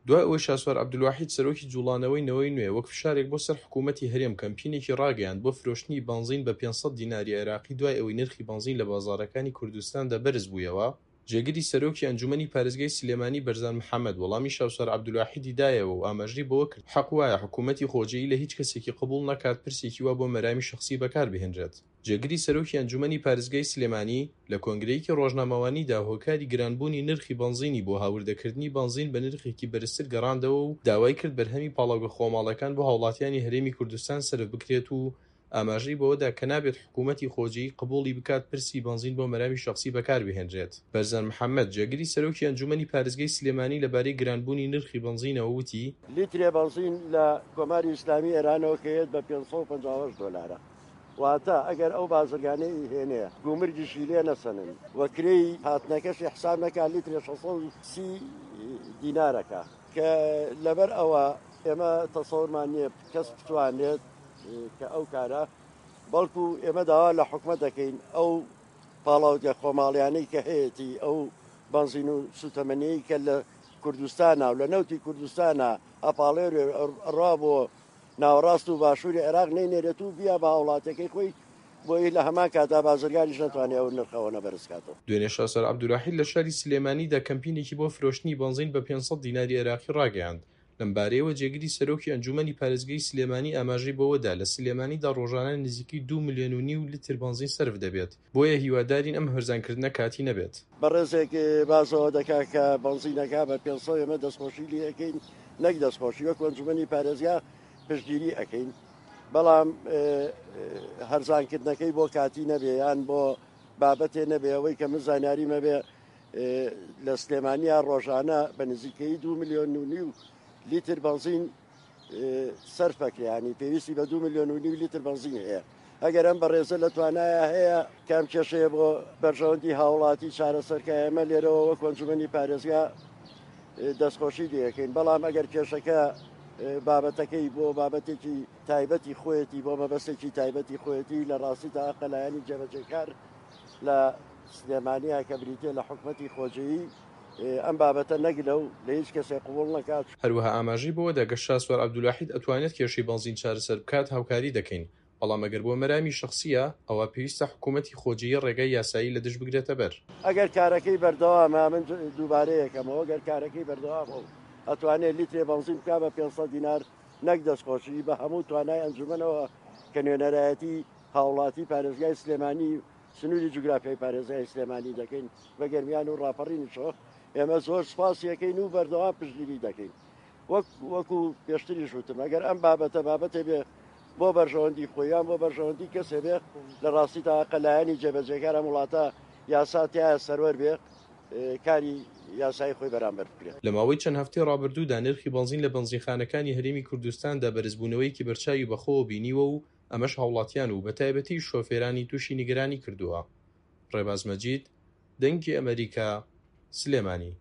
دوای ئەوەی شاسوار عەبدولواحید سەرۆکی جوڵانەوەی نەوەی نوێ وەک فشارێک بۆ سەر حکوومەتی هەرێم کەمپینێکی ڕاگەیاند بۆ فرۆشتنی بەنزین بە 500 دیناری عێراقی دوای ئەوەی نرخی بەنزین لە بازاڕەکانی کوردستاندا بەرزبوویەوە، جێگری سەرۆکی ئەنجومەنی پارێزگای سلێمانی بەرزان محەمەد وەڵامی شاسوار عەبدولواحیدی دایەوە و ئاماژەی بەوە کرد، حەق وایە حکوومەتی خۆجێی لە هیچ کەسێکی قبوڵ نەکات پرسێکی وا بۆ مەرامی شەخسی بەکاربهێنرێت. جێگری سەرۆکی ئەنجومەنی پارێزگای سلێمانی لە کۆنگرەیەکی ڕۆژنامەوانیدا هۆکاری گرانبوونی نرخی بەنزینی بۆ هاوردەکردنی بەنزین بە نرخێکی بەرزتر گەڕاندەوە و داوای کرد بەرهەمی پاڵاوگە خۆماڵەکان بۆ هاوڵاتیانی هەرێمی کوردستان سەرف بکرێت و ئاماژەی بەوەدا کە نابێت حکوومەتی خۆجێی قبوڵی بکات پرسی بەنزین بۆ مەرامی شەخسی بەکاربهێنرێت. بەرزان محەمەد، جێگری سەرۆکی ئەنجوومەنی پارێزگای سلێمانی لەبارەی گرانبوونی نرخی بەنزینەوە وتی، لیترێ بەنزین لە کۆماری ئیسلامی ئێرانەوە کە یەت بە 558 دۆلارە. واتە ئەگەر ئەو بازرگانەی ئیهێنێ گومرگیشی لێ نەسەنن و کرێی هاتنەکەشی حساب نەکا لیترێ 630 دینارەکە کە لەبەر ئەوە ئێمە تەسەورمان نییە کەس بتوانێت کە ئەو کارە بەڵکو ئێمە داوا لە حکومەت دەکەین ئەو پاڵاوگە خۆماڵیانەی کە هەیەتی ئەو بەنزین و سوتەمەنیی کە لە کوردستانە و لە نەوتی کوردستانە ئەپاڵێرێ ئەڕوا بۆ ناوەڕاست و باشووری عێراق نەینێرێت و بیا بە هاوڵاتیەکەی خۆی بۆی لە هەمان کاتدا بازرگانیش نەتوانێت ئەو نرخە ئەوەنە بەرز کاتەوە. دوێنێ شاسوار عەبدولواحید لە شاری سلێمانیدا کەمپینێکی بۆ فرۆشتنی بەنزین بە 500 دیناری عێراقی ڕاگەیاند. لەمبارەیەوە جێگری سەرۆکی ئەنجوومەنی پارێزگای سلێمانی ئاماژەی بەوەدا، لە سلێمانیدا ڕۆژانە نزیکەی دوو ملیۆن و نیو لتر بەنزین سەرف دەبێت، بۆیە هیوادارین ئەم هەرزانکردنە کاتی نەبێت. بەڕێزێک باس ئەوە دەکات کە بەنزینەکە بە 500 ئێمە دەستخۆشی لێ ئەکەین، نەک دەستخۆشی وەک ئەنجومەنی پارێزگا پشتگیری ئەکەین بەڵام هەرزانکردنەکەی بۆ کاتی نەبێ یان بۆ بابەتێ نەبێ ئەوەی کە من زانیاری مەبێ لە سلێمانیا ڕۆژانە بە نزیکەی دو ملیۆن و نیو لیتر بەنزین سەرفەکرێ ینی پێویستی بە دو ملیۆن و نیو لیتر بەنزین هەیە ئەگەر ئەم بەڕێزە لە توانایە هەیە کام کێشەیە بۆ بەرژەوەندی هاوڵاتی چارەسەرکە ئێمە لێرەوە وەک ئەنجومەنی پارێزگا دەستخۆشی لەکەین بەڵام ئەگەر کێشەکە بابەتەکەی بۆ بابەتێکی تایبەتی خۆیەتی بۆ مەبەستێکی تایبەتی خۆیەتی لە ڕاستیدا قەلایەنی جێبەجێکار لە سلێمانیا کە بریتە لە حکومەتی خۆجێی ئەم بابەتە نەگلە و لە هیچ کەسێک قبوڵ نەکات. هەروەها ئاماژەی بەوەدا گەر شاسوار عەبدولواحید ئەتوانێت کێشەی بەنزین چارەسەر بکات هاوکاری دەکەین، بەڵام ئەگەر بۆ مەرامی شەخسییە ئەوا پێویستە حکوومەتی خۆجێیی ڕێگای یاسایی لە دژ بگرێتە بەر. ئەگەر کارەکەی بەردەوامە، من دووبارەیەکەمەوە، گەر کارەکەی بەردەوامە و ئەتوانێت لیترێ بەنزین بکا بە 500 دینار نەک دەستخۆشی، بە هەموو توانای ئەنجومەنەوە کە نوێنەرایەتی هاوڵاتی پارێزگای سلێمانی سنووری جوگرافیای پارێزگای سلێمانی دەکەین بە گەرمیان و ڕاپەڕینیشەوە ئێمە زۆر سوپاسی ئەکەین و بەردەوام پشتگیری دەکەین وەک وەکو پێشتریش وتم ئەگەر ئەم بابەتە بابەتێ بێ بۆ بەرژەوەندی خۆیان بۆ بەرژەوەندی کەسێ بێ لە ڕاستیدا حەقە لایەنی جێبەجێکار ئەم وڵاتە یاسا تیایە سەروەر بێ کاری یاسایی خۆی بەرامبەر بکرێت. لە ماوەی چەند هەفتەی ڕابردوودا نرخی بەنزین لە بەنزینخانەکانی هەرێمی کوردستاندا بەرزبوونەوەیەکی بەرچاوی بەخۆوە بینیوە و ئەمەش هاوڵاتیان و بەتایبەتیش شۆفێرانی تووشی نیگەرانی کردووە. ڕێباز مەجید، دەنگی ئەمەریکا، سلێمانی.